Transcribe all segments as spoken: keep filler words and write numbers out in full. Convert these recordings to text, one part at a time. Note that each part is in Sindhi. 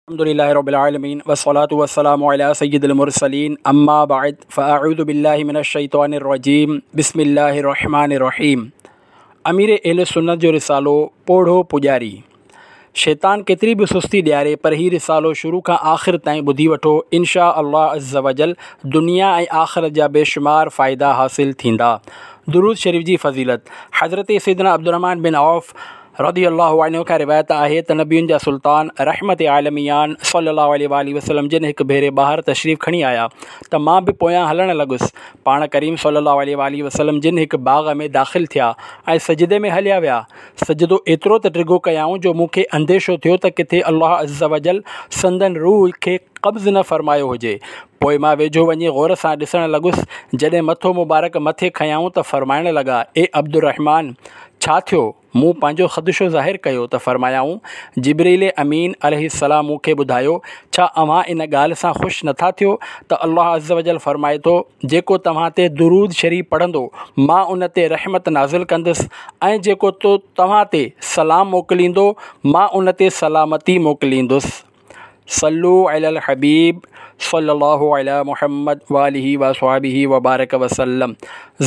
الحمد لله رب العالمين والصلاة والسلام على سيد المرسلين أما بعد فأعوذ بالله من الشيطان الرجيم بسم الله الرحمن الرحيم امير اهل سنت جو رسالو پوڙهو پوڄاري. شيطان ڪيتري به سستي ڏياري پر هي رسالو شروع کان آخر تائين ٻڌي وٺو، انشاء الله عزوجل دنيا ۽ آخرت جا بيشمار فائدا حاصل ٿيندا. درود شريف جي فضيلت. حضرت سيدنا عبدالرحمان بن عوف رضي الله عنه کان روايت آهي ته نبين جا سلطان رحمت عالميان صلي الله عليه واٰله وسلم جن هڪ ڀيري ٻاهر تشريف کڻي آيا ته مان به پويان هلڻ لڳس. پاڻ ڪريم صلي الله عليه واٰله وسلم جن هڪ باغ ۾ داخل ٿيا ۽ سجدي ۾ هليا ويا. سجدو ايترو ته ڊگهو ڪيائون جو مون کي انديشو ٿيو ته ڪٿي الله عزوجل سندن روح کي قبض نه فرمايو هجي. پوء مان ويجهو وڃي غور سان ڏسڻ لڳس. جڏهن مٿو مبارڪ مٿي کنيائون ته فرمائڻ لڳا، اي عبدالرحمان! ڇا ٿيو؟ مون پنهنجو خدشو ظاهر ڪيو ته فرمايائون، جبرئيل امين عليه السلام مون کي ٻڌايو، ڇا اوهان ان ڳالهه سان خوش نٿا ٿيو ته الله عزوجل فرمائي ٿو، جيڪو توهان تي درود شريف پڙهندو مان ان تي رحمت نازل ڪندس ۽ جيڪو توهان تي سلام موڪليندو مان ان تي سلامتي موڪليندس. صلو علی الحبيب صلي الله علی محمد واله وصحبه وبارڪ وسلم.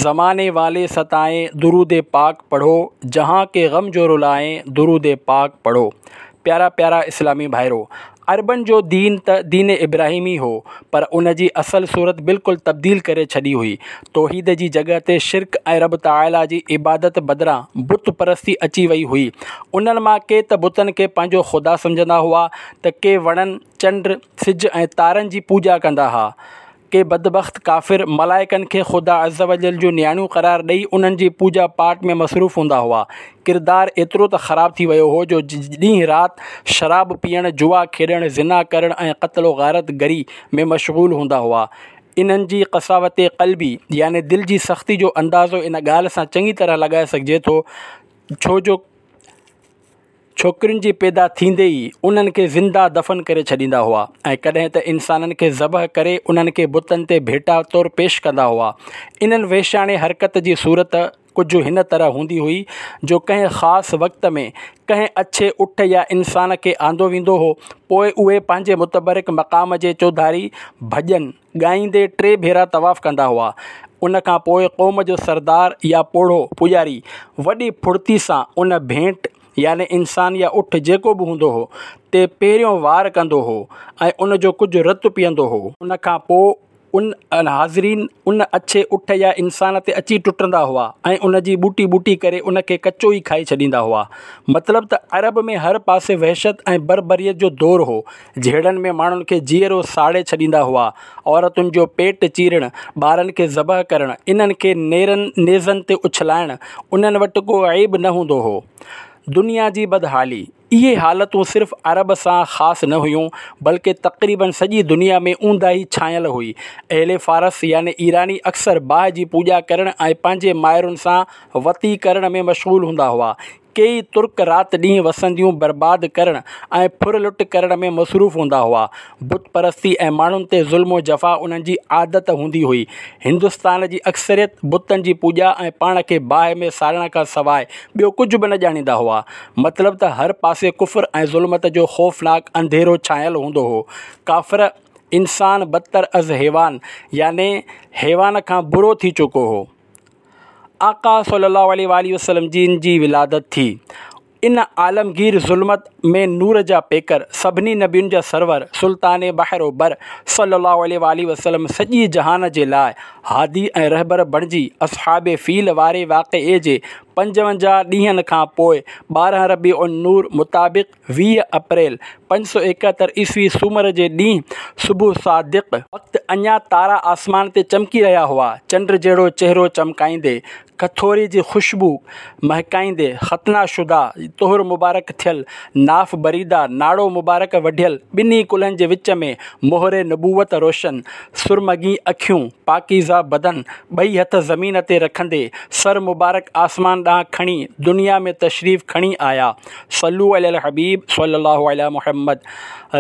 زماني والي ستائين درود پاڪ پڙهو، جهان ڪي غم جو رلائين درود پاڪ پڙهو. پيارا پيارا اسلامي ڀائرو، عربن جو دين ته دين ابراهيمي هو پر ان جي اصل صورت بلڪل تبديل ڪري ڇڏي هئي. توحيد جي جڳهه تي شرڪ ۽ رب تعاليٰ جي عبادت بدران بت پرستي اچي وئي هئي. انهن مان ڪي ته بتن کي پنهنجو خدا سمجهندا هئا ته ڪي وڻن، چنڊ، سج ۽ تارن جي پوڄا ڪندا ها. ڪي بدبخت ڪافر ملائڪن کي خدا عزوجل جون نياڻيون قرار ڏئي انهن جي پوڄا پاٽ ۾ مصروف هوندا هئا. ڪردار ايترو ته خراب ٿي ويو هو جو ڏينهن رات شراب پيئڻ، جوا کيڏڻ، زنا ڪرڻ ۽ قتل و غارت گري ۾ مشغول هوندا هئا. انهن جي قساوت قلبي يعني دل جي سختي جو اندازو ان ڳالهه سان چڱي طرح لڳائي سگهجي ٿو ڇو جو ڇوڪرين جي پيدا ٿيندي ئي انهن کي زنده دفن ڪري ڇڏيندا هئا ۽ ڪڏهن ته انسانن کي ذبح ڪري انهن کي بتن تي ڀيٽا طور پيش ڪندا هئا. انهن وحشياڻي حرڪت جي صورت ڪجهه هن طرح هوندي هئي جو ڪنهن خاص وقت ۾ ڪنهن اڇي اٺ يا انسان کي آندو ويندو هو، پوء اهي پنهنجي متبرڪ مقام جي چوڌاري ڀڄن ڳائيندي ٽي ڀيرا طواف ڪندا هئا. ان کان پوء قوم جو سردار يا پوڙهو پوڄاري وڏي ڦڙتي سان ان ڀينٽ يعني انسان يا اٺ جيڪو به هوندو هو تي پهريون وار ڪندو هو ۽ ان جو ڪجهه رت پيئندو هو. ان کان پوء ان حاضرين ان اڇي اٺ يا انسان تي اچي ٽٽندا هئا ۽ ان جي ٻوٽي ٻوٽي ڪري ان کي ڪچو ئي کائي ڇڏيندا هئا. مطلب ته عرب ۾ هر پاسي وحشت ۽ بربريت جو دور هو. جهيڙن ۾ ماڻهن کي جيئرو ساڙي ڇڏيندا هئا. عورتن جو پيٽ چيرڻ، ٻارن کي ذبح ڪرڻ، انهن کي نيرن نيزن تي اڇلائڻ انهن وٽ ڪو عيب نه هوندو هو. دنيا جي بدحالي. اهي حالتون صرف عرب سان خاص نه هيون، بلڪه تقريباً سڄي دنيا ۾ اونداهي ڇانيل هئي. اهل فارس يعني ايراني اڪثر باهه جي پوڄا ڪرڻ ۽ پنهنجي مائرن سان وطي ڪرڻ ۾ مشغول هوندا هئا. ڪيئي ترڪ رات ڏينهن وسنديون برباد ڪرڻ ۽ ڦر لٽ ڪرڻ ۾ مصروف هوندا هئا. بت پرستي ۽ ماڻهن تي ظلم و جفا انهن جي عادت هوندي هئي. هندستان جي اڪثريت بتن جي پوڄا ۽ پاڻ کي باهه ۾ ساڙڻ کان سواء ٻيو ڪجهه به نه ڄاڻيندا هئا. مطلب ته هر پاسي ڪفر ۽ ظلمت جو خوفناڪ انڌيرو ڇانيل هوندو هو. ڪافر انسان بدتر از حيوان يعني حيوان کان برو ٿي چڪو هو. آقا صلي الله عليه واٰله وسلم جن جي ولادت ٿي. ان عالمگير ظلمت ۾ نور جا پيڪر، سڀني نبين جا سرور، سلطان بحر و بر صلي الله عليه واٰله وسلم سڄي جهان جي لاء هادي ۽ رهبر بڻجي اصحاب فيل واري واقعي جي پنجونجاهه ڏينهن کان پوء ٻارهن ربيع النور مطابق ويهه اپريل پنج سؤ ايڪهتر عيسوي سومر جي ڏينهن صبح صادق وقت اڃا تارا آسمان تي چمڪي رهيا هئا. چنڊ جهڙو چهرو چمڪائيندي، کٿوري جي خوشبو مهڪائيندي، ختنه شده، طهر مبارڪ ٿيل، ناف بريده، ناڙو مبارڪ وڍيل، ٻنهي ڪلهن جي وچ ۾ مهر نبوت روشن، سرمگي اکيون، پاڪيزه بدن، ٻئي هٿ زمين تي رکندي، سر مبارڪ آسمان ڏانهن کڻي دنيا ۾ تشريف کڻي آيا. صلو علی الحبيب صلي الله علی محمد.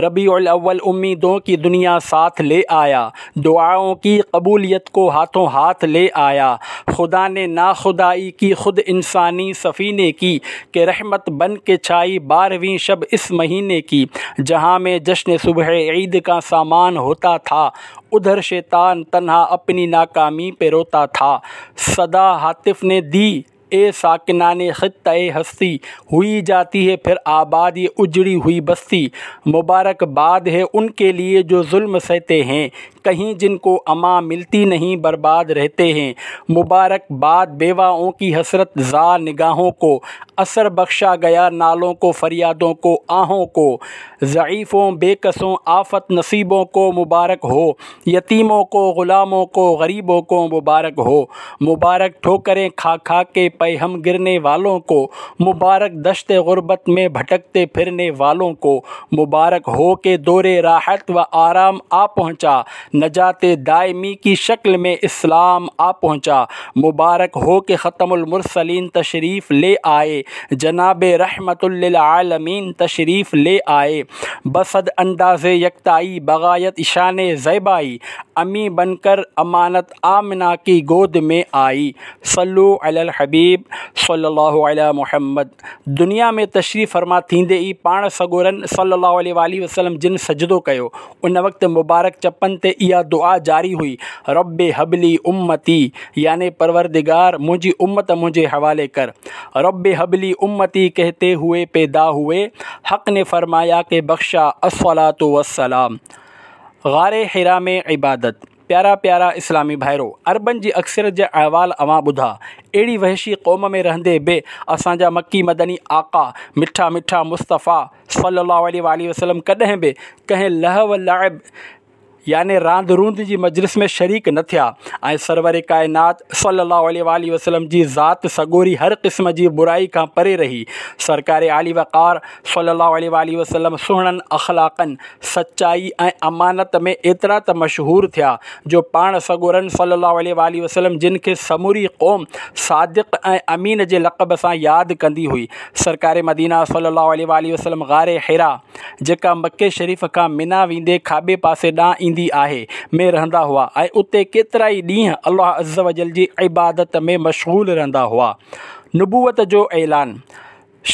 ربيع الاول اميدون ڪي دنيا ساٿ لي آيا، دعائون ڪي قبوليت ڪو هاٿون هاٿ لي آيا. خدا ني ناخدائي ڪي خود انساني سفيني ڪي، ڪه رحمت بن ڪي ڇائي بارهوين شب اس مهيني ڪي. جهان ۾ جشن صبح عيد ڪا سامان هوتا ٿا، ادهر شيطان تنها اپني ناڪامي پي روتا ٿا. صدا هاتف ني the اي ساڪنان خطه هستي، هوئي جاتي هي ڦر آباد يه اجڙي هوئي بستي. مبارڪ باد هي ان ڪي ليي جو ظلم سهتي هين، ڪهين جن ڪو امان ملتي نهين برباد رهتي هين. مبارڪ باد بيواون ڪي حسرت زا نگاهون ڪو، اثر بخشا گيا نالون ڪو فريادون ڪو آهون ڪو. ضعيفون بيڪسون آفت نصيبون ڪو مبارڪ هو، يتيمون ڪو غلامون ڪو غريبون ڪو مبارڪ هو. مبارڪ ٺوڪرين کا کا ڪي پيهم گرني والون ڪو، مبارڪ دشت غربت ۾ ڀٽڪتي ڦرني والون ڪو. مبارڪ هو ڪي دور راحت و آرام آ پهچا، نجات دائمي ڪي شڪل ۾ اسلام آ پهچا. مبارڪ هو ڪي ختم المرسلين تشريف لي آئي، جناب رحمت للعالمين تشريف لي آئي. بصد انداز يڪتائي بغايت شان زيبائي، امي بن ڪر امانت آمنه ڪي گود ۾ آئي. صلو علي الحبيب صلي الله علي محمد. دنيا ۾ تشريف فرما ٿيندي ئي پاڻ سڳورن صلي الله عليه واٰله وسلم جن سجدو ڪيو. ان وقت مبارڪ چپن تي اها دعا جاري هئي، رب هب لي امتي، يعني پروردگار منهنجي امت منهنجي حوالي ڪر. رب هب لي امتي ڪهتي هوئي پيدا هوئي، حق ني فرمايا ڪه بخشا الصلوة والسلام. غار حرا ۾ عبادت. پيارا پيارا اسلامي ڀائرو، عربن جي اڪثريت جا احوال اوهان ٻڌا. اهڙي وحشي قوم ۾ رهندي به اسان جا مڪي مدني آقا مٺا مٺا مصطفيٰ صلي الله عليه واٰله وسلم ڪڏهن به ڪنهن لهو لعب يعني راند روند جي مجلس ۾ شريڪ نه ٿيا ۽ سرور ڪائنات صلي الله عليه واٰله وسلم جي ذات سڳوري هر قسم جي برائي کان پري رهي. سرڪار عالي وقار صلي الله عليه واٰله وسلم سهڻن اخلاقن، سچائي ۽ امانت ۾ ايترا ته مشهور ٿيا جو پاڻ سڳورن صلي الله عليه واٰله وسلم جن کي سموري قوم صادق ۽ امين جي لقب سان ياد ڪندي هئي. سرڪار مدينه صلي الله عليه واٰله وسلم غار حرا، جيڪا مڪي شريف کان منيٰ ويندي کاٻي پاسي ڏانهن ايندي آهي، ۾ رهندا هئا ۽ اتي ڪيترائي ڏينهن الله عزوجل جي عبادت ۾ مشغول رهندا هئا. نبوت جو اعلان.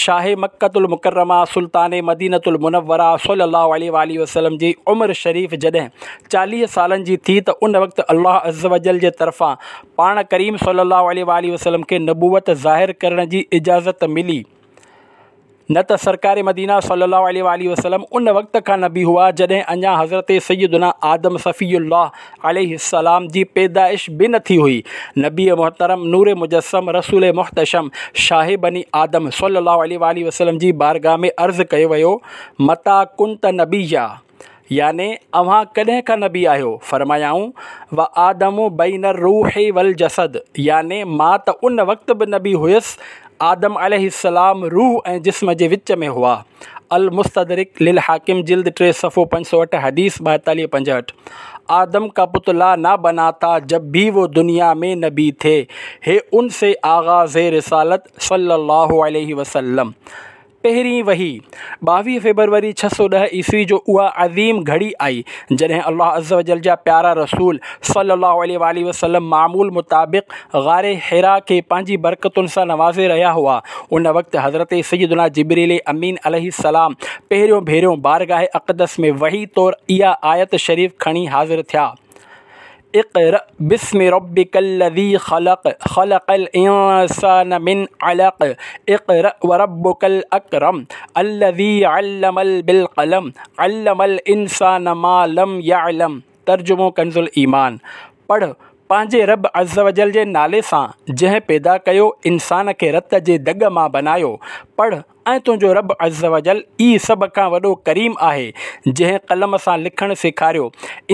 شاهه مڪة المڪرمه سلطان مدينة المنوره صلي الله عليه واٰله وسلم جي عمر شريف جڏهن چاليهه سالن جي ٿي ته ان وقت الله عزوجل جي طرفان پاڻ ڪريم صلي الله عليه واٰله وسلم کي نبوت ظاهر ڪرڻ جي اجازت ملي. نه ته سرڪار مدينه صلي الله عليه واٰله وسلم ان وقت کان نبي هئا جڏهن اڃا حضرت سيدنا آدم صفي الله عليه السلام جي پيدائش به نه ٿي هئي. نبي محترم نور مجسم رسول محتشم شاهه بني آدم صلي الله عليه واٰله وسلم جي بارگاهه ۾ عرض ڪيو ويو، متيٰ ڪنت نبيا، يعني اوهان ڪڏهن کان نبي آهيو؟ فرمايائون، وآدم بين الروح والجسد، يعني مان ته ان وقت به نبي هيس، آدم عليه السلام روح ۽ جسم جي وچ ۾ هئا. المستدرڪ للحاڪم جلد ٽي صفحو پنج سؤ اٺ حديث ٻائيتاليهه پنجهٺ. آدم ڪا پتلا نه بنا ٿا جب ڀي وو دنيا ۾ نبي ٿي، هي ان سي آغاز رسالت صلي الله عليه وسلم. پهرين وحي، ٻاويهه فيبروري ڇهه سؤ ڏهه عيسوي جو اها عظيم گهڙي آئي، جڏهن الله عزوجل جا پيارا رسول صلي الله عليه واٰله وسلم معمول مطابق غار حرا کي پنهنجي برڪتن سان نوازي رهيا هئا. ان وقت حضرت سيدنا جبرئيل امين عليه السلام پهريون ڀيرو بارگاهه اقدس ۾ وحي طور اها آيت شريف کڻي حاضر ٿيا. اقرأ باسم ربك الذي خلق خلق الانسان من علق اقرأ وربك الاڪرم الذي علم بالقلم علم الانسان ما لم يعلم ترجمو ڪنز الايمان، پڙهه پنهنجي رب عزوجل جي نالي سان جنهن پيدا ڪيو انسان کي رت جي دڳ مان بنايو. پڙهه ۽ تنهنجو رب عزّوجلّ ئي سڀ کان وڏو ڪريم آهي، جنهن قلم سان لکڻ سيکاريو،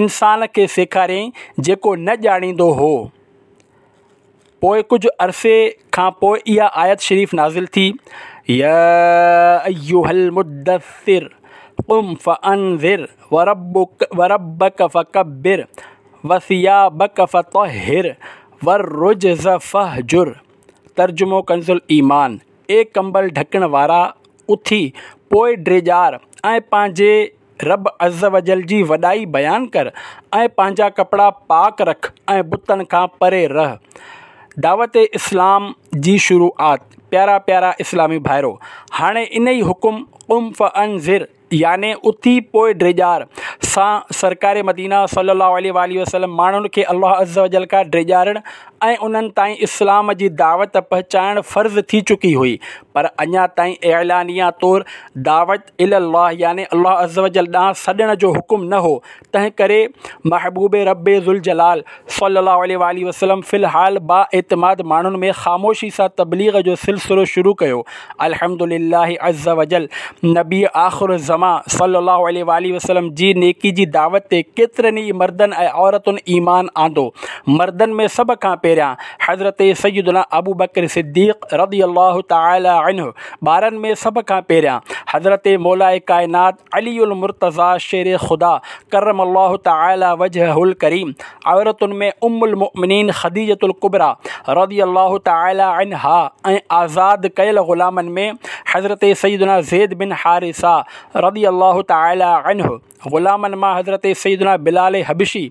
انسان کي سيکاريائين جيڪو نه ڄاڻيندو هو. پوء ڪجهه عرصي کان پوء اها آيت شريف نازل ٿي، يا ايها المدثر قم فانذر وربک وربک فڪبر وثيابک فطهر والرجز فاهجر. ترجمو ڪنز الايمان، اي ڪمبل ڍڪڻ وارا، اٿي پوءِ ڊيڄار ۽ پنهنجي رب عز وجل جي وڏائي بيان ڪر ۽ پنهنجا ڪپڙا پاڪ رک ۽ بتن کان پري رهه. دعوت اسلام جي شروعات. پيارا پيارا اسلامي ڀائرو، هاڻي انهي حڪم قم فانذر يعني اٿي پوءِ ڊيڄار سان سرڪار مدينه صلي الله عليه واٰله وسلم ماڻهن کي الله عز وجل کان ڊيڄارڻ ۽ انهن تائين اسلام جي دعوت پهچائڻ فرض ٿي چڪي هئي، پر اڃا تائين اعلانيه طور دعوت الي الله يعني الله عز وجل ڏانهن سڏڻ جو حڪم نه هو. تنهن ڪري محبوب رب ذوالجلال صلي الله عليه واٰله وسلم في الحال با اعتماد ماڻهن ۾ خاموشي سان تبليغ جو سلسلو شروع ڪيو. الحمدلله عز وجل نبي آخر الزمان صلي الله عليه واٰله وسلم جي نيڪي جي دعوت تي ڪيترن ئي مردن ۽ عورتن ايمان آندو. مردن ۾ سڀ کان پهريان حضرت سيدنا ابوبڪر صديق رضي الله تعالٰي عنه، ٻارن ۾ سڀ کان پهريان حضرت مولا ڪائنات علي المرتضيٰ شير خدا ڪرم الله تعالٰي وجهه الڪريم، عورتن ۾ ام المؤمنين خديجة الڪبريٰ رضي الله تعالٰي عنها ۽ آزاد ڪيل غلامن ۾ حضرت سيدنا زيد بن حارثه رضي الله تعالٰي عنه، غلامن مان حضرت سيدنا بلال حبشي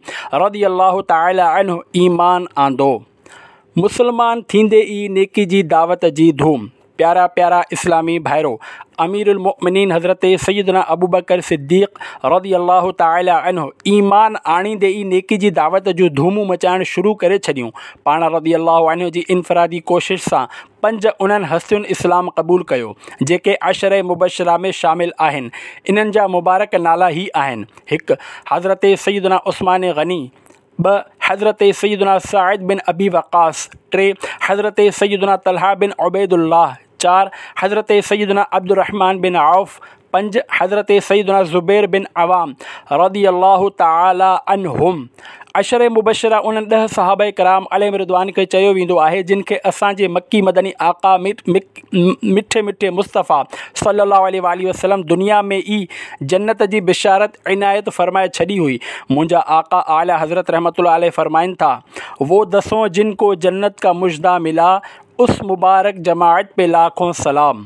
رضي الله تعالٰي عنه ايمان آندو. مسلمان ٿيندي ئي نيڪي جي دعوت جي ڌوم. پيارا پيارا اسلامي ڀائرو، امير المؤمنين حضرت سيدنا ابوبڪر صديق رضي الله تعالٰي عنه ايمان آڻيندي ئي نيڪي جي دعوت جون ڌومون مچائڻ شروع ڪري ڇڏيون. پاڻ رضي الله عنه جي انفرادي ڪوشش سان پنج انهن هستين اسلام قبول ڪيو، جيڪي عشره مبشره ۾ شامل آهن. انهن جا مبارڪ نالا هي آهن: هڪ حضرت سيدنا عثمان غني، ٻه حضرت سيدنا سعد بن ابي وقاص، ٽي حضرت سيدنا طلحه بن عبيد الله، چار حضرت سيدنا عبدالرحمان بن عوف، پنج حضرت سيدنا زبير بن عوام رضي الله تعالٰي عنهم. عشره مبشره انهن ڏهه صحابه ڪرام عليهم رضوان کي چيو ويندو آهي، جن کي اسان جي مڪي مدني آقا مٺي مٺي مصطفيٰ صلي الله عليه واٰله وسلم دنيا ۾ ئي جنت جي بشارت عنايت فرمائي ڇڏي هئي. منهنجا آقا اعليٰ حضرت رحمة الله عليه فرمائن ٿا، وہ دسوں جن کو جنت کا مژدہ ملا، اس مبارڪ جماعت پي لاکون سلام.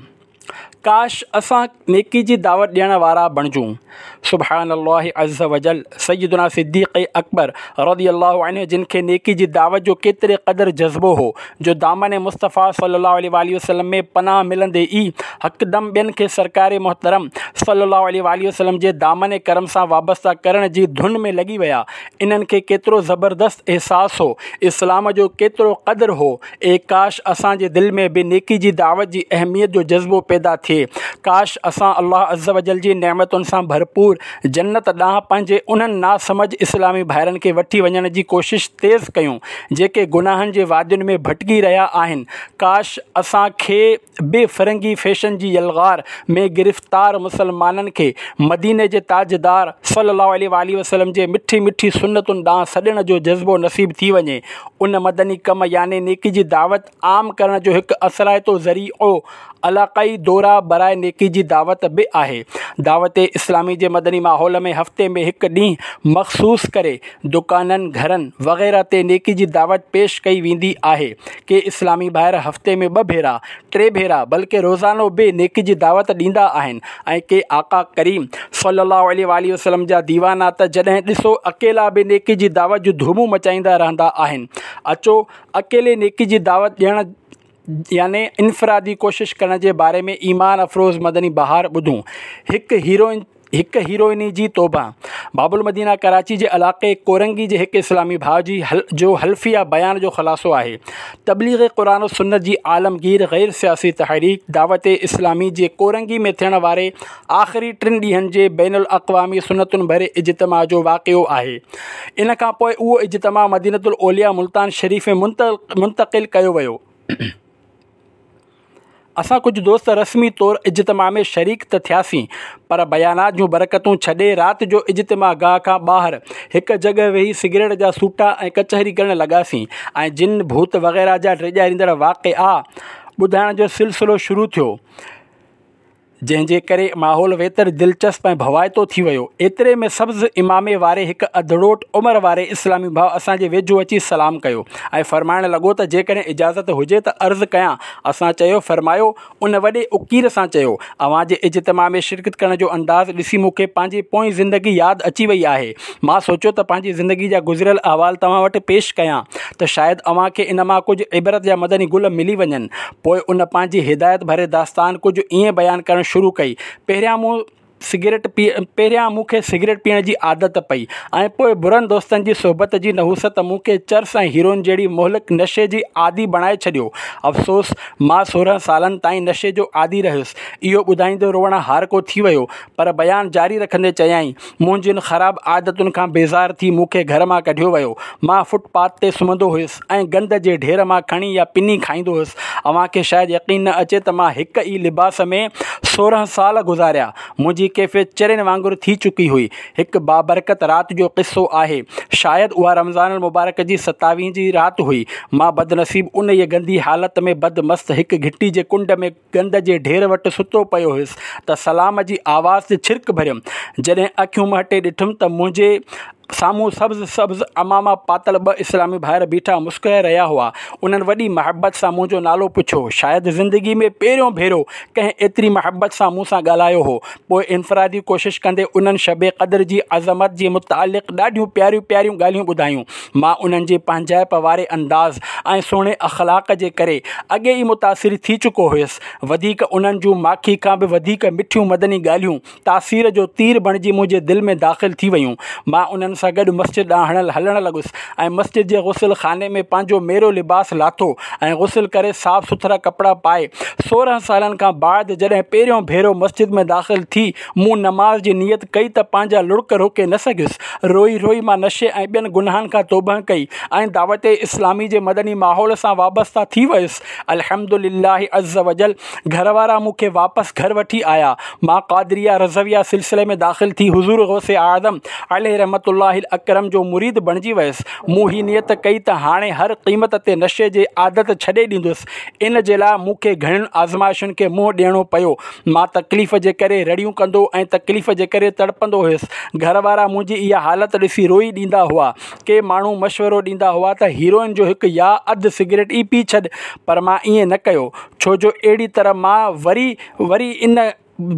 ڪاش اسان نيڪي جي دعوت ڏيڻ وارا بڻجون. سبحان الله عز وجل. سيدنا صديق اڪبر رضي الله عنه جن کي نيڪي جي دعوت جو ڪيتري قدر جذبو هو جو دامن مصطفيٰ صلي الله عليه واٰله وسلم ۾ پناهه ملندي ئي هڪدم ٻين کي سرڪار محترم صلي الله عليه واٰله وسلم جي دامن ڪرم سان وابسته ڪرڻ جي ڌن ۾ لڳي ويا. انهن کي ڪيترو زبردست احساس هو، اسلام جو ڪيترو قدر هو. اي ڪاش اسان جي دل ۾ به نيڪي جي دعوت جي اهميت جو جذبو پيدا ٿئي. ڪاش اسان الله عز وجل جي نعمتن سان ڀرپور جنت ڏانهن پنهنجي انهن ناسمجهه اسلامي ڀائرن کي وٺي وڃڻ جي ڪوشش تيز ڪيون، جيڪي گناهن جي وادين ۾ ڀٽڪي رهيا آهن. ڪاش اسان کي به فرنگي فيشن جي يلغار ۾ گرفتار مسلمانن کي مديني جي تاجدار صلي الله عليه واٰله وسلم جي مٺي مٺي سنتن ڏانهن سڏڻ جو جذبو نصيب ٿي وڃي. ان مدني ڪم يعني نيڪي جي دعوت عام ڪرڻ جو هڪ اثرائتو ذريعو علاقائي دورا برائي نيڪي جي دعوت به آهي. دعوت اسلامي جي مدني ماحول ۾ هفتي ۾ هڪ ڏينهن مخصوص ڪري دڪانن، گهرن وغيره تي نيڪي جي دعوت پيش ڪئي ويندي آهي. ڪي اسلامي ڀائر هفتي ۾ ٻه ڀيرا، ٽي ڀيرا بلڪه روزانو به نيڪي جي دعوت ڏيندا آهن ۽ ڪي آقا ڪريم صلي الله عليه واٰله وسلم جا ديوانا ته جڏهن ڏسو اڪيلا به نيڪي جي دعوت جون ڌومون مچائيندا رهندا آهن. اچو اڪيلي نيڪي جي دعوت ڏيڻ يعني انفرادي ڪوشش ڪرڻ جي باري ۾ ايمان افروز مدني بهار ٻڌون. هڪ هيروئن هڪ هيروئني جي توبه. باب المدينه ڪراچي جي علائقي ڪورنگي جي هڪ اسلامي ڀاء جي جو حلفيه بيان جو خلاصو آهي. تبليغ قرآن و سنت جي عالمگير غير سياسي تحريڪ دعوت اسلامي جي ڪورنگي ۾ ٿيڻ واري آخري ٽن ڏينهن جي بين الاقوامي سنتن ڀري اجتماع جو واقعو آهي. ان کان پوء اهو اجتماع مدينة الاولياء ملتان شريف ۾ منتقل ڪيو ويو. اسان ڪجهه دوست رسمي طور اجتماع ۾ شريڪ ته ٿياسين، پر بيانات جون برڪتون ڇڏي رات جو اجتماع گاهه کان ٻاهر هڪ جڳهه ويهي سگريٽ جا سوٽا ۽ ڪچهري ڪرڻ لڳاسين ۽ جن ڀوت وغيره جا ڊيڄاريندڙ واقعا ٻڌائڻ جو سلسلو شروع ٿيو. جنهن جي ڪري ماحول ويتر دلچسپ ۽ ڀوائتو ٿي ويو. ايتري ۾ سبز عمامي واري هڪ اڌڙوٽ عمر واري اسلامي ڀاء اسان جي ويجهو اچي سلام ڪيو ۽ فرمائڻ لڳو ته جيڪڏهن اجازت هجي ته عرض ڪيان. اسان چيو، فرمايو. ان وڏي اڪير سان چيو، اوهان جي اجتماع ۾ شرڪت ڪرڻ جو انداز ڏسي مون کي پنهنجي پوئين زندگي ياد اچي وئي آهي. مان سوچيو ته پنهنجي زندگي جا گذريل احوال توهان وٽ پيش ڪيان ته شايد اوهان کي ان مان ڪجهه عبرت جا مدني گل ملي وڃن. پوء ان پنهنجي هدايت ڀري داستان ڪجهه ائين بيان ڪرڻ شروع ڪئي، پهريان مون سگريٽ پي پهريان مون کي سگريٽ پيئڻ جي عادت پئي ۽ پوء برن دوستن جي صحبت جي نحوست مون کي چرس ۽ هيروئن جهڙي مهلڪ نشي جي عادي بڻائي ڇڏيو. افسوس، مان سورهن سالن تائين نشي جو عادي رهيس. اهو ٻڌائيندي روئڻ هارڪو ٿي ويو، پر بيان جاري رکندي چيائين، منهنجين خراب عادتن کان بيزار ٿي مون کي گهر مان ڪڍيو ويو. مان فٽ پاٿ تي سمهندو هيس ۽ گند جي ڍير مان کڻي يا پني کائيندو هيس. اوهان کي شايد يقين نه اچي ته مان هڪ ئي لباس ۾ سورهن سال گذاريا. منهنجي ڪيفيت چرين وانگر ٿي چڪي هئي. هڪ بابرڪت رات جو قصو آهي. شايد اها رمضان المبارڪ جي ستاويهين جي رات هئي. مان بدنصيب انهيء گندي حالت ۾ بدمست هڪ گهٽي جي ڪنڊ ۾ گند جي ڍير وٽ ستو پيو هيس ته سلام جي آواز تي ڇرڪ ڀريم. جڏهن اکيون مهٽي ڏٺم ته منهنجي سامهون سبز سبز عماما پاتل ٻه اسلامي ڀائر بيٺا مسڪرائي رهيا هئا. انهن وڏي محبت سان منهنجو نالو پڇيو. شايد زندگي ۾ پهريون ڀيرو ڪنهن ايتري محبت سان مون سان ڳالهايو هو. پوء انفرادي ڪوشش ڪندي انهن شب قدر جي عظمت جي متعلق ڏاڍيون پياريون پياريون ڳالهيون ٻڌايون. مان انهن جي پنهنجائپ واري انداز ۽ سهڻي اخلاق جي ڪري اڳي ئي متاثر ٿي چڪو هيس. وڌيڪ انهن جون ماکي کان به وڌيڪ مٺيون مدني ڳالهيون تاثير جو تير بڻجي منهنجي دل ۾ داخل ٿي ويون. مان انهن سان گڏ مسجد ڏانهن هلڻ لڳس ۽ مسجد جي غسل خاني ۾ پنهنجو ميرو لباس لاٿو ۽ غسل ڪري صاف سٿرا ڪپڙا پائي سورهن سالن کان بعد جڏهن پهريون ڀيرو مسجد ۾ داخل ٿي مون نماز جي نيت ڪئي ته پنهنجا لڙڪ روڪي نه سگهيس. روئي روئي مان نشي ۽ ٻين گناهن کان توبهه ڪئي ۽ دعوت اسلامي جي مدني ماحول سان وابسته ٿي ويس. الحمد لله عزّوجلّ گهر وارا مون کي واپس گهر وٺي آيا. مان قادريه رضويه سلسلي ۾ داخل ٿي حضور غوث اعظم عليه رحمة الله الاڪرم جو مريد بڻجي ويس. مون هي نيت ڪئي ته هاڻي هر قيمت تي نشي جي عادت ڇڏي ڏيندس. ان جي لاء مون کي گهڻين آزمائشن کي منهن ڏيڻو پيو. مان تڪليف جي ڪري رڙيون ڪندو ۽ تڪليف جي ڪري تڙپندو هيس. گهر وارا منهنجي اها حالت ڏسي روئي ڏيندا هئا. ڪي ماڻهو مشورو ڏيندا هئا ته هيروئن جو هڪ يا اڌ سگريٽ ئي پي ڇڏ، پر مان ائين نه ڪيو، ڇو جو اهڙي طرح مان وري وري ان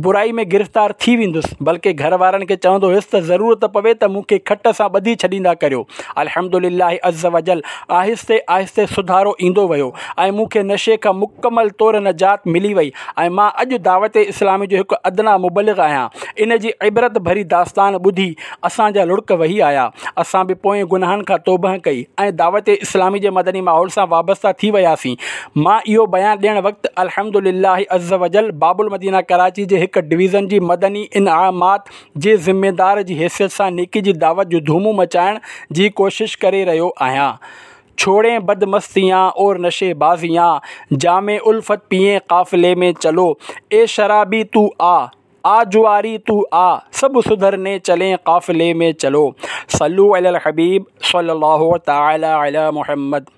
برائي ۾ گرفتار ٿي ويندس، بلڪه گهر وارن کي چوندو هيس ته ضرورت پوي ته مون کي کٽ سان ٻڌي ڇڏيندا ڪريو. الحمد لله عزّوجلّ آهستي آهستي سڌارو ايندو ويو ۽ مون کي نشي کان مڪمل طور نجات ملي وئي ۽ مان اڄ دعوت اسلامي جو هڪ ادنيٰ مبلغ آهيان. ان جي عبرت ڀري داستان ٻڌي اسان جا لڙڪ وهي آيا. اسان به پوئين گناهن کان توبهه ڪئي ۽ دعوت اسلامي جي مدني ماحول سان وابسته ٿي وياسين. مان اهو بيان ڏيڻ وقت الحمد لله عزّوجلّ باب المدينه ڪراچي جي هڪ ڊويزن جي مدني انعامات جي ذميدار جي حيثيت سان نيڪي جي دعوت جون ڌومون مچائڻ جي ڪوشش ڪري رهيو آهيان. ڇوڙين بد مستيان اور نشي بازيان، جام الفت پيئين قافلي ۾ چلو، اي شرابي تو آ، آ جواري تو آ، سب سڌرني چلين قافلي ۾ چلو. صلو علي الحبيب صلي الله تعالي علي محمد.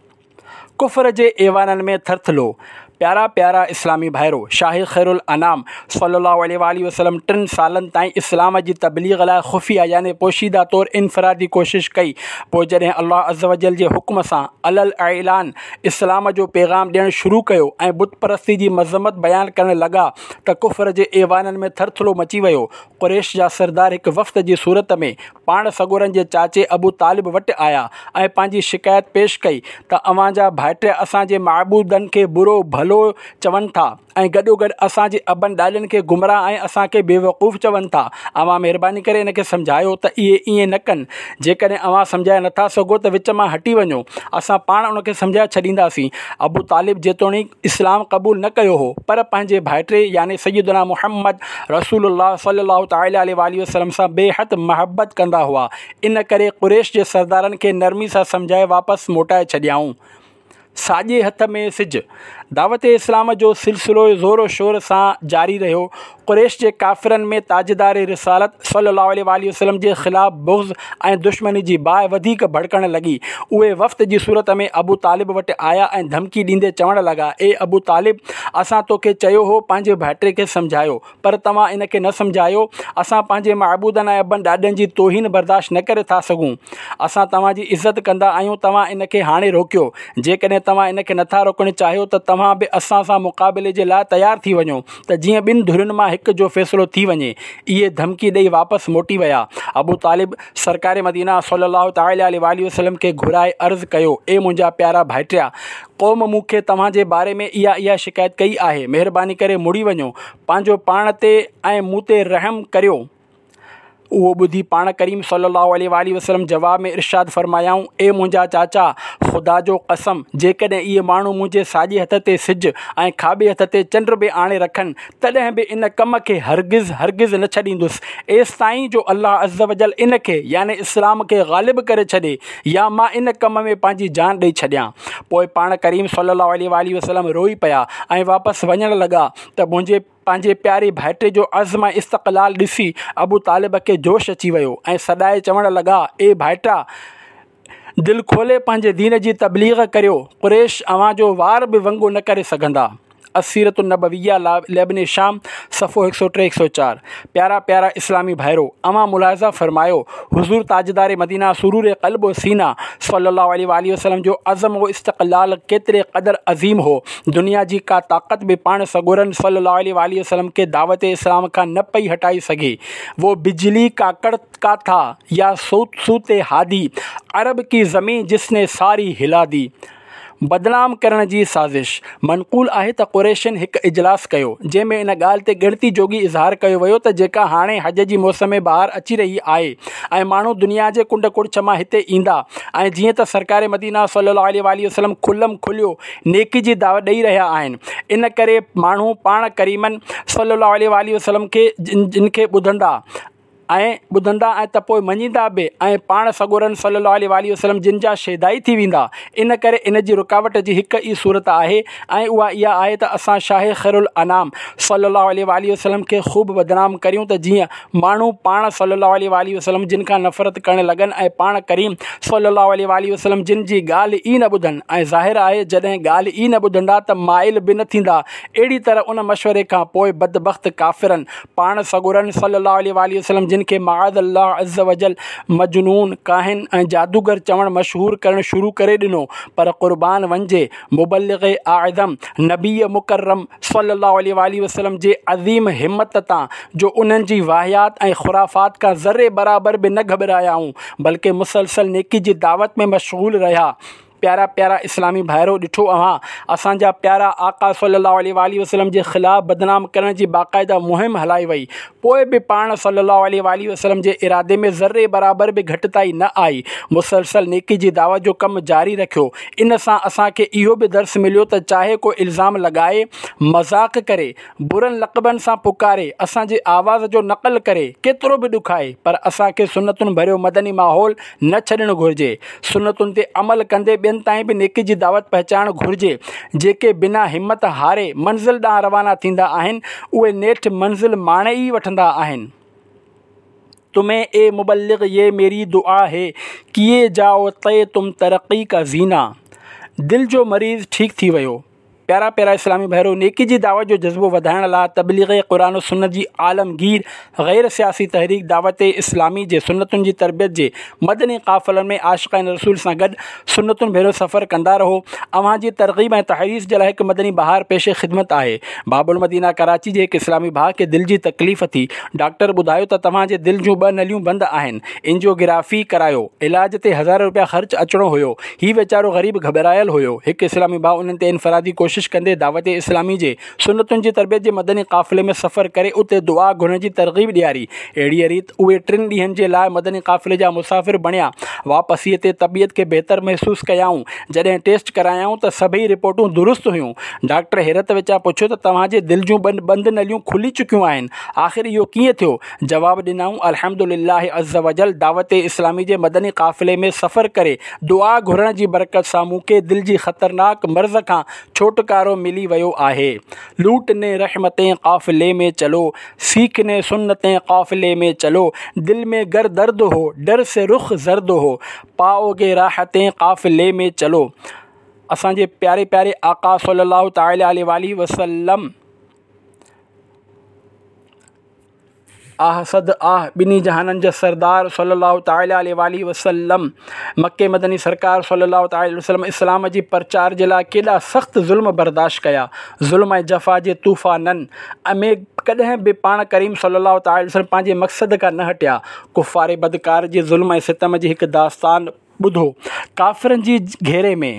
ڪفر جي ايوانن ۾ ٿرٿلو. پيارا پيارا اسلامي ڀائرو! شاهه خيرالانام صلّي الله عليه واٰله وسلّم ٽن سالن تائين اسلام جي تبليغ لاء خفيه يعني پوشيده طور انفرادي ڪوشش ڪئي، پوء جڏهن الله عزّوجلّ جي حڪم سان علي الاعلان اسلام جو پيغام ڏيڻ شروع ڪيو ۽ بت پرستي جي مذمت بيان ڪرڻ لڳا ته ڪفر جي ايوانن ۾ ٿرٿلو مچي ويو. قريش جا سردار هڪ وفد جي صورت ۾ پاڻ سڳورن جي چاچي ابو طالب وٽ آيا ۽ پنهنجي شڪايت پيش ڪئي ته اوهان جا ڀائٽيا اسان جي معبودن کي برو ڀلو چون ٿا ۽ گڏوگڏ اسان جي ابن ڏاڏن کي گمراهه ۽ اسان کي بيوقوف چون ٿا. اوهان مهرباني ڪري ان کي سمجهايو ته اهي ائين نه ڪن. جيڪڏهن اوهان سمجهائي نٿا سگهو ته وچ مان هٽي وڃو. اسان پاڻ ان کي سمجهائي ڇڏينداسين. ابو طالب جيتوڻيڪ اسلام قبول نه ڪيو هو پر پنهنجي ڀائٽي يعني سيدنا محمد رسول الله صلي الله تعالٰي عليه واٰله وسلم سان بي حد محبت ڪندا هئا، ان ڪري قريش جي سردارن کي نرمي سان سمجهائي واپس موٽائي ڇڏيائون. ساڄي هٿ ۾ سج. دعوت اسلام جو سلسلو زور و شور سان جاري رهيو. قريش جي ڪافرن ۾ تاجدار رسالت صلي الله عليه وآله وسلم جي خلاف بغض ۽ دشمني جي باهه وڌيڪ ڀڙڪڻ لڳي. اهي وفد جي صورت ۾ ابو طالب وٽ آيا ۽ ڌمڪي ڏيندي چوڻ لڳا، اي ابو طالب، اسان توکي چيو هو پنهنجي ڀائٽي کي سمجهايو، پر توهان ان کي نه سمجهايو. اسان پنهنجي معبودن ۽ ابن ڏاڏن جي توهين برداشت نه ڪري ٿا سگهون. اسان توهان جي عزت ڪندا آهيون، توهان ان کي هاڻي روڪيو. جيڪڏهن توهان ان کي نٿا روڪڻ چاهيو ته توهان به اسان سان مقابلي جي لاء تيار ٿي وڃو ته جيئن ٻن ڌرين مان هڪ جو فيصلو ٿي وڃي. اهي ڌمڪي ڏئي واپس موٽي ويا. ابو طالب سرڪار مدينه صلي الله تعالٰي عليه واٰله وسلم کي گهرائي عرض ڪيو، اي منهنجا پيارا ڀائٽيا، قوم مون کي توهان جي باري ۾ اها اها شڪايت ڪئي آهي، مهرباني ڪري مڙي وڃو، پنهنجو پاڻ تي ۽ مون تي رحم ڪريو. اهو ٻڌي پاڻ ڪريم صلي الله عليه واٰله وسلم جواب ۾ ارشاد فرمايائون، اي منهنجا چاچا، خدا جو قسم، جيڪڏهن اهي ماڻهو منهنجي ساڄي هٿ تي سج ۽ کاٻي هٿ تي چنڊ به آڻي رکن، تڏهن به ان ڪم کي هرگز هرگز نه ڇڏيندس، ايستائين جو الله عزّوجلّ ان کي، يعني اسلام کي، غالب ڪري ڇڏي يا مان ان ڪم ۾ پنهنجي جان ڏئي ڇڏيان. پوء پاڻ ڪريم صلي الله عليه واٰله وسلم روئي پيا ۽ واپس وڃڻ لڳا ته منهنجي پنهنجي پياري ڀائٽي جو عزم ۽ استقلال ڏسي ابو طالب کي جوش اچي ويو ۽ سڏائي چوڻ لڳا، اي ڀائٽا! دل کولي پنهنجي دين جي تبليغ ڪريو، قريش اوهان جو وار به ونگو نه ڪري سگهندا. السيرة النبويه لابن هشام، صفحو هڪ سؤ ٽي هڪ سؤ چار. پيارا پيارا اسلامي ڀائرو! اوهان ملاحظه فرمايو، حضور تاجدار مدينه سرور قلب و سينه صلي الله عليه واٰله وسلم جو عزم و استقلال ڪيتري قدر عظيم هو، دنيا جي ڪا طاقت به پاڻ سڳورن صلي الله عليه واٰله وسلم کي دعوت اسلام کان نه پئي هٽائي سگهي. وو بجلي ڪا ڪڙڪا ٿا يا صوت هادي، عرب ڪي زمين جس ني ساري هلا the. بدنام ڪرڻ جي سازش. منقول آهي ته قريشن هڪ اجلاس ڪيو، جنهن ۾ ان ڳالهه تي ڳڻتي جوڳي اظهار ڪيو ويو ته جيڪا هاڻي حج جي موسم بهار اچي رهي آهي ۽ ماڻهو دنيا جي ڪنڊ ڪڙڇ مان هتي ايندا ۽ جيئن ته سرڪار مدينه صلي الله عليه واٰله وسلم کلم کليو نيڪي جي دعوت ڏئي رهيا آهن، ان ڪري ماڻهو پاڻ ڪريمن صلي الله عليه واٰله وسلم کي جن کي ٻڌندا ۽ ٻڌندا ۽ ته پوء مڃيندا به ۽ پاڻ سڳورن صلي الله عليه واٰله وسلم جن جا شيدائي ٿي ويندا. ان ڪري ان جي رڪاوٽ جي هڪ ئي صورت آهي ۽ اها اها آهي ته اسان شاهه خيرالانام صلي الله عليه واٰله وسلم کي خوب بدنام ڪريون ته جيئن ماڻهو پاڻ صلي الله عليه واٰله وسلم جن کان نفرت ڪرڻ لڳن ۽ پاڻ ڪريم صلي الله عليه واٰله وسلم جن جي ڳالهه ئي نه ٻڌن ۽ ظاهر آهي جڏهن ڳالهه ئي نه ٻڌندا ته مائل به نه ٿيندا. اهڙي طرح ان مشوري کان پوء بدبخت ڪافرن پاڻ سڳورن صلّي اللّٰه عليه واٰله وسلّم جن کي معاذ الله عزّ وجلّ مجنون، ڪاهن ۽ جادوگر چوڻ مشهور ڪرڻ شروع ڪري ڏنو پر قربان وڃجي مبلغ اعظم نبي مڪرم صلّي اللّٰه عليه واٰله وسلّم جي عظيم همت تان جو انهن جي واهيات ۽ خرافات کان ذري برابر به نه گهٻرايائون بلڪه مسلسل نيڪي جي دعوت ۾ مشغول رهيا. پيارا پيارا اسلامي ڀائرو! ڏٺو اوهان اسان جا پيارا آقا صلّي اللّٰه عليه واٰله وسلّم جي خلاف بدنام ڪرڻ جي باقاعده مهم هلائي وئي پوء به پاڻ صلّي اللّٰه عليه واٰله وسلّم جي ارادي ۾ ذري برابر به گهٽتائي نه آئي مسلسل نيڪي جي دعوت جو ڪم جاري رکيو ان سان اسان کي اهو به درس مليو ته چاهي ڪو الزام لڳائي مذاق ڪري برن لقبن سان پڪاري، اسان جي آواز جو نقل ڪري، ڪيترو به ڏکائي، پر اسان کي سنتن ڀريو مدني ماحول نه ڇڏڻ گهرجي. سنتن تي عمل ڪندي ٻين تائين به نيڪي جي دعوت پهچائڻ گهرجي. جيڪي بنا همت هاري منزل ڏانهن روانا ٿيندا آهن، اهي نيٺ منزل ماڻي ئي وٺندا آهن. تمهين اي مبلغ يه ميري دعا هي، ڪيئي جائو طي تم ترقي ڪا زينه. دل جو مريض ٺيڪ ٿي ويو. پيارا پيارا اسلامي ڀائرو! نيڪي جي دعوت جو جذبو وڌائڻ لاء تبليغ قرآن و سنت جي عالمگير غير سياسي تحريڪ دعوت اسلامي جي سنتن جي تربيت جي مدني قافلن ۾ عاشقان رسول سان گڏ سنتن ڀريو سفر ڪندا رهو. اوهان جي ترغيب ۽ تحريص جي لاء هڪ مدني بهار پيش خدمت آهي. باب المدينه ڪراچي جي هڪ اسلامي ڀاء کي دل جي تڪليف ٿي. ڊاڪٽر ٻڌايو ته توهان جي دل جون ٻه نليون بند آهن. انجيو گرافي ڪرايو. علاج تي هزارين روپيا خرچ اچڻو هيو. هي ويچارو غريب گهٻرايل هيو. هڪ اسلامي ڀاء انهن تي انفرادي ڪوشش ڪندي دعوت اسلامي جي سنتن جي تربيت جي مدني قافلي ۾ سفر ڪري اتي دعا گهرڻ جي ترغيب ڏياري. اهڙيء ريت اهي ٽن ڏينهن جي لاء مدني قافلي جا مسافر بڻيا. واپسيء تي طبيعت کي بهتر محسوس ڪيائون. جڏهن ٽيسٽ ڪرايائون ته سڀئي رپورٽون درست هيون. ڊاڪٽر حيرت وچان پڇيو ته توهان جي دل جون ٻه بند نليون کلي چڪيون آهن، آخر اهو ڪيئن ٿيو؟ جواب ڏنائون، الحمدللّٰه عزّوجلّ دعوت اسلامي جي مدني قافلي ۾ سفر ڪري دعا گهرڻ جي برڪت سان مون کي دل جي خطرناڪ مرض کان ڇوٽڪارو ملي ويو آهي. لوٽني رحمتين قافلي ۾ چلو، سيکني سنتين قافلي ۾ چلو، دل ۾ گر درد هو، ڊر سي رخ زرد هو، پائوگي راحتين قافلي ۾ چلو. اسان جي پياري پياري آقا صلّي الله تعالٰي عليه واٰله وسلّم آه صد آه ٻنهي جهانن جا سردار صلّي الله تعالٰي عليه واٰله وسلّم مڪي مدني سرڪار صلّي الله تعالٰي عليه وسلّم اسلام جي پرچار جي لاء ڪيڏا سخت ظلم برداشت ڪيا. ظلم ۽ جفا جي طوفانن ۾ ڪڏهن به پاڻ ڪريم صلّي الله تعالٰي عليه وسلّم پنهنجي مقصد کان نه هٽيا. ڪفار بدڪار جي ظلم ۽ ستم جي هڪ داستان ٻڌو. ڪافرن جي گهيري ۾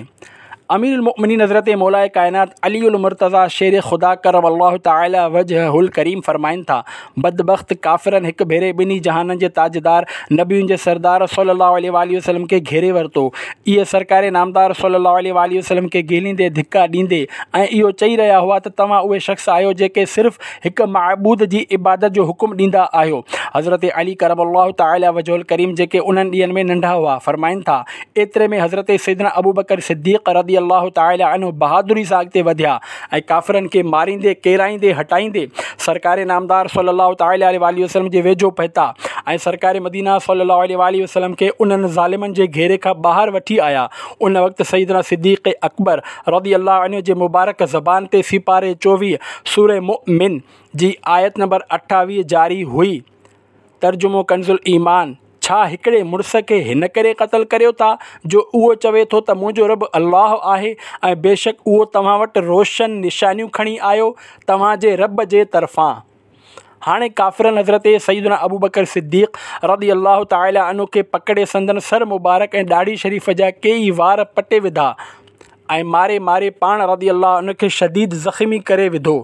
امير المؤمنين حضرت مولاء ڪائنات علي المرتضيٰ شير خدا ڪرم الله تعالي وجهه الڪريم فرمائن ٿا، بدبخت ڪافرن هڪ ڀيري ٻنهي جهانن جي تاجدار، نبين جي سردار صلّي الله عليه واٰله وسلّم کي گهيري ورتو. اهي سرڪار نامدار صلّي الله عليه واٰله وسلّم کي گهليندي، ڌڪا ڏيندي ۽ اهو چئي رهيا هئا ته توهان اهي شخص آهيو جيڪي صرف هڪ معبود جي عبادت جو حڪم ڏيندا آهيو. حضرت علي ڪرم الله تعالي وجهه الڪريم جيڪي انهن ڏينهن ۾ ننڍا هئا، فرمائن ٿا، ايتري ۾ حضرت سيدنا ابوبڪر صديق رضي الله تعالي عنه بهادري سان اڳتي وڌيا ۽ ڪافرن کي ماريندي ڪيرائيندي هٽائيندي سرڪار نامدار صلي الله تعالي عليه واٰله وسلم جي ويجهو پهتا ۽ سرڪار مدينه صلي الله عليه واٰله وسلم کي انهن ظالمن جي گهيري کان ٻاهر وٺي آيا. ان وقت سيدنا صديق اڪبر رضي الله عنه جي مبارڪ زبان تي سيپاري چوويهه سوره مؤمن جي آيت نمبر اٺاويهه جاري هئي. ترجمو ڪنز الايمان، ڇا هڪڙي مڙس کي هن ڪري قتل ڪريو ٿا جو اهو چوي ٿو ته منهنجو رب الله آهي ۽ بيشڪ اهو توهان وٽ روشن نشانيون کڻي آيو توهان جي رب جي طرفان. هاڻي ڪافرن حضرت سيدنا ابوبڪر صديق رضي الله تعالٰي عنه کي پڪڙي سندن سر مبارڪ ۽ ڏاڙهي شريف جا ڪيئي وار پٽي وڌا ۽ ماري ماري پاڻ رضي الله عنه کي شديد زخمي ڪري وڌو.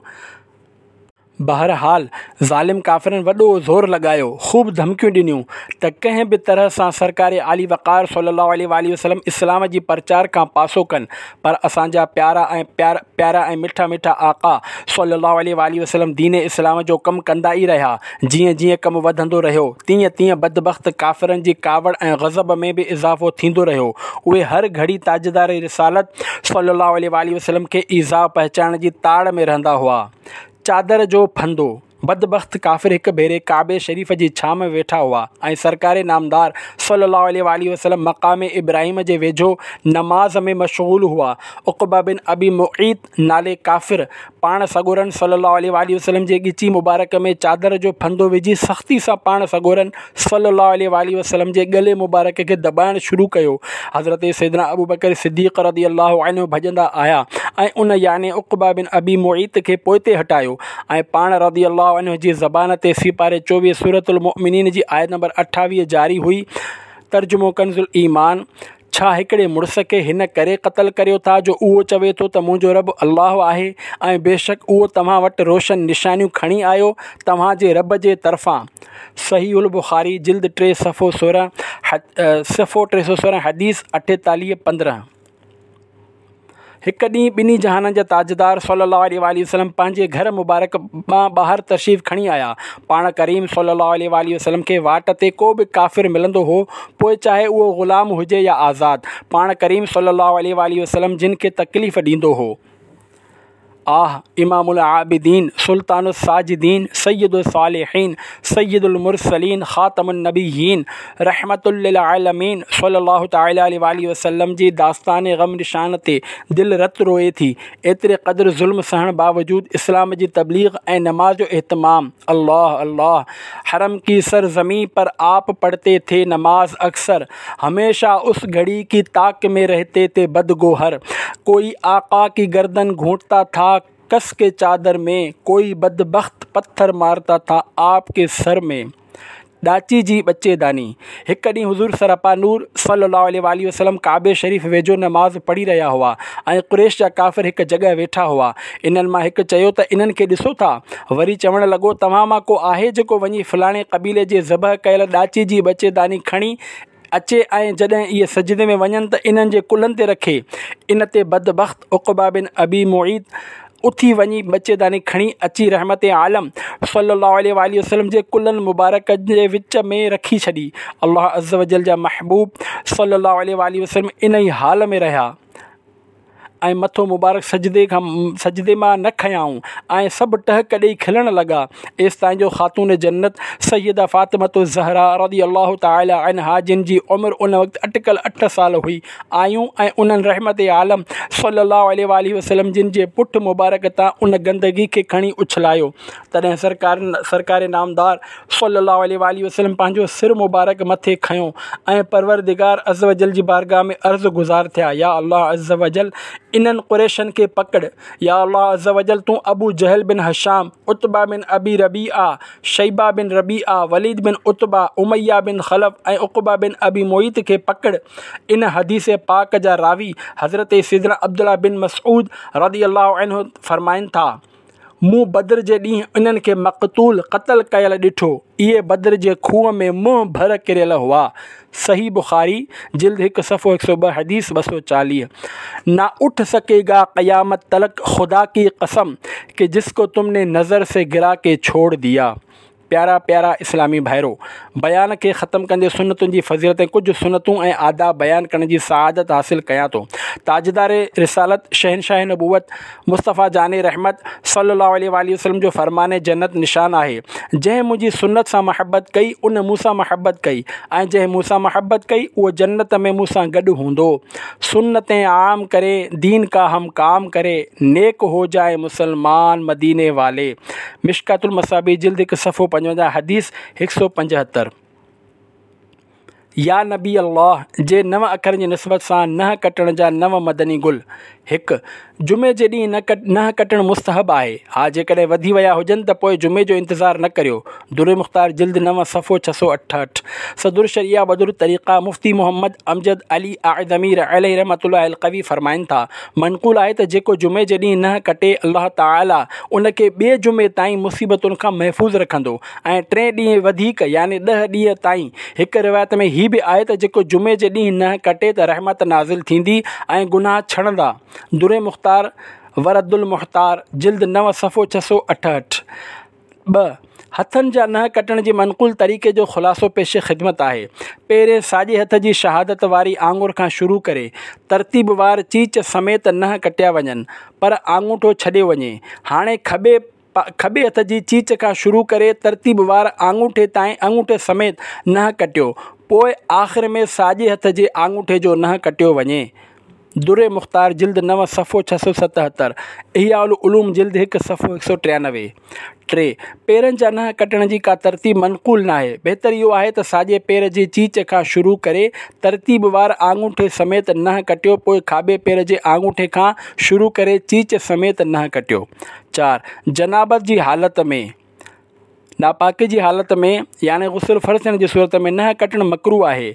بهرحال ظالم ڪافرن وڏو زور لڳايو، خوب ڌمڪيون ڏنيون ته ڪنهن به طرح سان سرڪار عالي وقار صلي الله عليه واٰله وسلم اسلام جي پرچار کان پاسو ڪن، پر اسان جا پيارا ۽ پيارا ۽ مٺا مٺا آقا صلي الله عليه واٰله وسلم دين اسلام جو ڪم ڪندا ئي رهيا، جيئن جيئن ڪم وڌندو رهيو، تيئن تيئن بدبخت ڪافرن جي ڪاوڙ ۽ غضب ۾ به اضافو ٿيندو رهيو، اهي هر گهڙي تاجدار رسالت صلي الله عليه واٰله وسلم کي ايذاء پهچائڻ جي تاڙ ۾ رهندا هئا. چادر جو ڦندو، بدبخت ڪافر هڪ ڀيري ڪعبي شريف جي ڇانو ۾ ويٺا هئا ۽ سرڪار نامدار صلّي الله عليه واٰله وسلّم مقام ابراهيم جي ويجهو نماز ۾ مشغول هئا. عقبه بن ابي معيط نالي ڪافر پاڻ سڳورن صلّي الله عليه واٰله وسلّم جي ڳچي مبارڪ ۾ چادر جو ڦندو وجهي سختي سان پاڻ سڳورن صلّي الله عليه واٰله وسلّم جي ڳلي مبارڪ کي دٻائڻ شروع ڪيو. حضرت سيدنا ابوبڪر صديق رضي الله عنه ڀڄندا آيا ۽ ان يعني عقبه بن ابي معيط کي پوئتي هٽايو ۽ پاڻ رضي الله عنه جي زبان تي سيپاري چوويهه سورة المؤمنين جي آيت نمبر اٺاويهه جاري هئي. ترجمو ڪنز الايمان، ڇا هڪڙي مڙس کي هن ڪري قتل ڪريو ٿا جو اهو چوي ٿو ته منهنجو رب الله آهي ۽ بيشڪ اهو توهان وٽ روشن نشانيون کڻي آيو توهان جي رب جي طرفان. صحيح البخاري جلد ٽي صفحو سورهن صفحو ٽي سؤ سورهن حديث اٺيتاليهه پندرهن. هڪ ڏينهن ٻنهي جهانن جا تاجدار صلّي اللّٰه عليه واٰله وسلّم پنهنجي گهر مبارڪ مان ٻاهر تشريف کڻي آيا. پاڻ ڪريم صلّي اللّٰه عليه واٰله وسلّم کي واٽ تي ڪو به ڪافر ملندو هو، پوء چاهي اهو غلام هجي يا آزاد، پاڻ ڪريم صلّي اللّٰه عليه واٰله وسلّم جن کي تڪليف ڏيندو هو. آه امام العابدين، سلطان الساجدين، سيد الصالحين، سيد المرسلين، خاتم النبيين، رحمة للعالمين صلّي الله تعالٰي عليه واٰله وسلّم جي داستان غم نشان تي دل رت روئي ٿي. ايتري قدر ظلم سهڻ باوجود اسلام جي تبليغ ۽ نماز جو اهتمام. الله الله حرم ڪي سر زمين پر آپ پڙهتي ٿي نماز اڪثر هميشه اس گهڙي ڪي تاڪ ۾ رهتي تي بدگوهر ڪوئي آقا ڪي گردن گهونٽتا ٿا ڪس ڪي چادر ۾ ڪوئي بدبخت پٿر مارتا ٿا آپ ڪي سر ۾ ڏاچي جي ٻچي داني هڪ ڏينهن حضور سراپا نور صلي الله عليه واٰله وسلم ڪعبي شريف ويجهو نماز پڙهي رهيا هئا ۽ قريش جا ڪافر هڪ جڳهه ويٺا هئا. انهن مان هڪ چيو ته انهن کي ڏسو ٿا؟ وري چوڻ لڳو توهان مان ڪو آهي جيڪو وڃي فلاڻي قبيلي جي ذبح ڪيل ڏاچي جي ٻچي داني کڻي اچي ۽ جڏهن اهي سجدي ۾ وڃن ته انهن جي ڪلهن تي رکي. ان تي بدبخت عقبه بن ابي معيط اٿي وڃي ٻچيداني کڻي اچي رحمت عالم صلي الله عليه وآله وسلم جي ڪلهن مبارڪ جي وچ ۾ رکي ڇڏي. الله عزوجل جا محبوب صلي الله عليه وآله وسلم انهي حال ۾ رهيا ۽ مٿو مبارڪ سجدي کان سجدي مان نه کنيائون ۽ سڀ ٽهڪ ڏيئي کلڻ لڳا، ايستائين جو خاتون جنت سيده فاطمة الزهراء رضي الله تعالٰي عنها جن جي عمر ان وقت اٽڪل اٺ سال هئي آيون ۽ انهن رحمت عالم صلي الله عليه وآله وسلم جن جي پٺ مبارڪ تان ان گندگي کي کڻي اڇلايو. تڏهن سرڪار سرڪار نامدار صلي الله عليه وآله وسلم پنهنجو سر مبارڪ مٿي کنيو ۽ پروردگار عزوجل جي بارگاهه ۾ عرض گذار ٿيا، يا الله عزوجل انهن قريشن کي پڪڙ، يا الله عزوجل تون ابو جهل بن هشام، عتبه بن ابي ربيعه، شيبه بن ربيعه، وليد بن عتبه، اميه بن خلف ۽ عقبه بن ابي معيط کي پڪڙ. ان حديث پاڪ جا راوي حضرت سيدنا عبدالله بن مسعود رضي الله عنه فرمائن ٿا، مون بدر جي ڏينهن انهن کي مقتول، قتل ڪيل، ڏٺو. اهي بدر جي کوهه ۾ منهن ڀر ڪريل هئا. صحيح بخاري، جلد هڪ صفحو هڪ سؤ ٻه حديث ٻه سؤ چاليهه. نا اٺ سڪي گا قيامت تلڪ خدا ڪي قسم ڪه جس ڪو تم ني نظر سي گرا ڪي ڇوڙ ديا. پيارا پيارا اسلامي ڀائرو! بيان کي ختم ڪندي سنتن جي فضيلت ۽ ڪجهه سنتون ۽ آداب بيان ڪرڻ جي سعادت حاصل ڪيان ٿو. تاجدار رسالت، شهنشاهه نبوت، مصطفيٰ جان رحمت صلّي اللّٰه عليه واٰله وسلّم جو فرمان جنت نشان آهي، جنهن منهنجي سنت سان محبت ڪئي ان مون سان محبت ڪئي ۽ جنهن مون سان محبت ڪئي اهو جنت ۾ مون سان گڏ هوندو. سنتين عام ڪري، دين ڪا هم ڪام ڪري، نيڪ هو جائين مسلمان مديني والي. مشڪات المصابيح جلد هڪ صفحو پنجونجاهه حديث هڪ سؤ پنجهتر. يا نبي الله جي نو اکرن جي نسبت سان ننهن ڪٽڻ جا نو مدني گل. هڪ. جمعي جي ڏينهن ننهن ڪٽڻ مستحب آهي. ها جيڪڏهن وڌي ويا هجن ته پوء جمعي جو انتظار نه ڪريو. در مختار جلد نو صفحو ڇهه سؤ اٺهٺ. صدر الشريعه بدر الطريقه مفتي محمد امجد علي اعظمي عليه رحمة الله القوي فرمائن ٿا، منقول آهي ته جيڪو جمعي جي ڏينهن ننهن ڪٽي الله تعالي ان کي ٻئي جمعي تائين مصيبتن کان محفوظ رکندو ۽ ٽئين ڏينهن وڌيڪ يعني ڏهه ڏينهن تائين. هڪ روايت ۾ هي به آهي ته جيڪو جمعي جي ڏينهن ننهن ڪٽي ته رحمت نازل ٿيندي ۽ گناهه ڇڻندا. در مختار ورد المحتار جلد نو صفحو ڇهه سؤ اٺهٺ. ٻه، هٿن جا ننهن ڪٽڻ جي منقول طريقي جو خلاصو پيش خدمت آهي. پهرين ساڄي هٿ جي شهادت واري آڱر کان شروع ڪري، ترتيب وار چيچ سميت ننهن ڪٽيا وڃن، پر آڱوٺو ڇڏيو وڃي. هاڻي کٻي کٻي هٿ جي چيچ کان شروع ڪري ترتيب وار آڱوٺي تائين آڱوٺي سميت ننهن ڪٽيو، پوء آخر ۾ ساڄي هٿ جي آڱوٺي جو ننهن ڪٽيو وڃي. در مختار جلد نو صفحو ڇهه سؤ ستهتر، احياء العلوم جلد هڪ صفحو هڪ سؤ ٽيانوي. ٽي، پيرن جا ننهن ڪٽڻ جي ڪا ترتيب منقول ناهي. بهتر اهو آهي ته ساڄي پير جي چيچ کان شروع ڪري ترتيب وار آڱوٺي سميت ننهن ڪٽيو پوء کاٻي پير جي آڱوٺي کان شروع ڪري چيچ سميت ننهن ڪٽيو. چار، جنابت جي حالت ۾، ناپاڪي جي حالت ۾ يعني غسل فرض ٿيڻ جي صورت ۾ ننهن ڪٽڻ مڪروه آهي.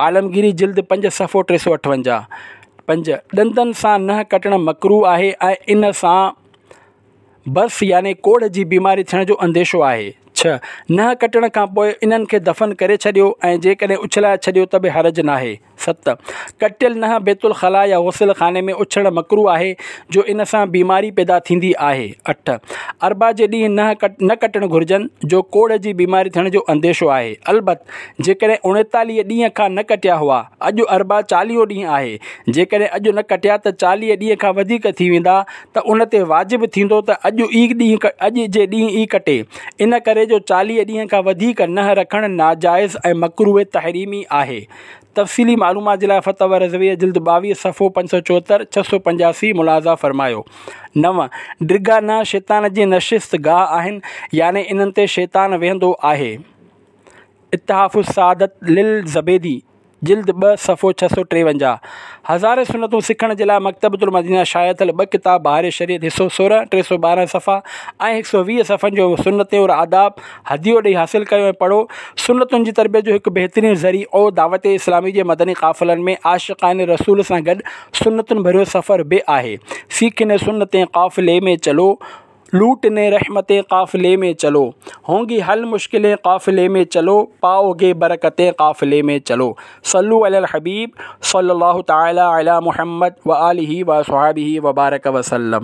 عالمگيري جلد پنج صفحو ٽي سؤ اٺونجاهه. پنج، ڏندن سان ننهن ڪٽڻ مڪروه آهي ۽ ان سان برص يعني ڪوڙهه جي بيماري ٿيڻ جو انديشو آهي. ڇهه، ننهن ڪٽڻ کان پوء انهن کي دفن ڪري ڇڏيو ۽ جيڪڏهن اڇلائي ڇڏيو ته به حرج ناهي. ست، ڪٽيل ننهن بيت الخلا يا غسل خاني ۾ اڇلڻ مڪروه آهي جو ان سان بيماري پيدا ٿيندي آهي. اٺ، اربع جي ڏينهن ننهن نه ڪٽڻ گهرجن جو ڪوڙهه جي بيماري ٿيڻ جو انديشو آهي. البت جيڪڏهن اڻيتاليهه ڏينهن کان نه ڪٽيا هئا، اڄ اربع چاليهون ڏينهن آهي، جيڪڏهن اڄ نه ڪٽيا ته چاليهه ڏينهن کان وڌيڪ ٿي ويندا ته ان تي واجب ٿيندو ته اڄ ئي ڏينهن اڄ جي ڏينهن ئي ڪٽي، ان ڪري جو چاليهه ڏينهن کان وڌيڪ ننهن رکڻ ناجائز ۽ مڪروه تحريمي آهي. تفصيلي معلومات جي لاء فتاويٰ رضويه جلد ٻاويهه صفحو پنج سؤ چوهتر، ڇهه سؤ پنجاسي ملاحظه فرمايو. نو، ڊگها ننهن شيطان جي نشست گاهه آهن، يعني انهن تي شيطان ويهندو آهي. اتحاف السعادت للزبيدي جلد ٻه صفحو ڇهه سؤ ٽيونجاهه. هزارين سنتون سکڻ جي لاء مڪتبة المدينه شايع ٿيل ٻه ڪتاب بهار شريعت حصو سورهن، ٽي سؤ ٻارهن صفحا، ۽ هڪ سؤ ويهه صفحن جو سنتين اور آداب هديو ڏئي حاصل ڪيو ۽ پڙهو. سنتن جي تربيت جو هڪ بهترين ذريعو دعوت اسلامي جي مدني قافلن ۾ عاشقان رسول سان گڏ سنتن ڀريو سفر به آهي. سيکهني سنتين قافلي ۾ چلو. लूटने रहमतें काफ़िले में चलो, होंगी हल मुश्किलें काफ़िले में चलो, पाओगे बरकतें काफ़िले में चलो। सल्लु अलल हबीब सल्लल्लाहु तआला अला मुहम्मद व आलिहि व अस्हाबिहि व बारक वसल्लम।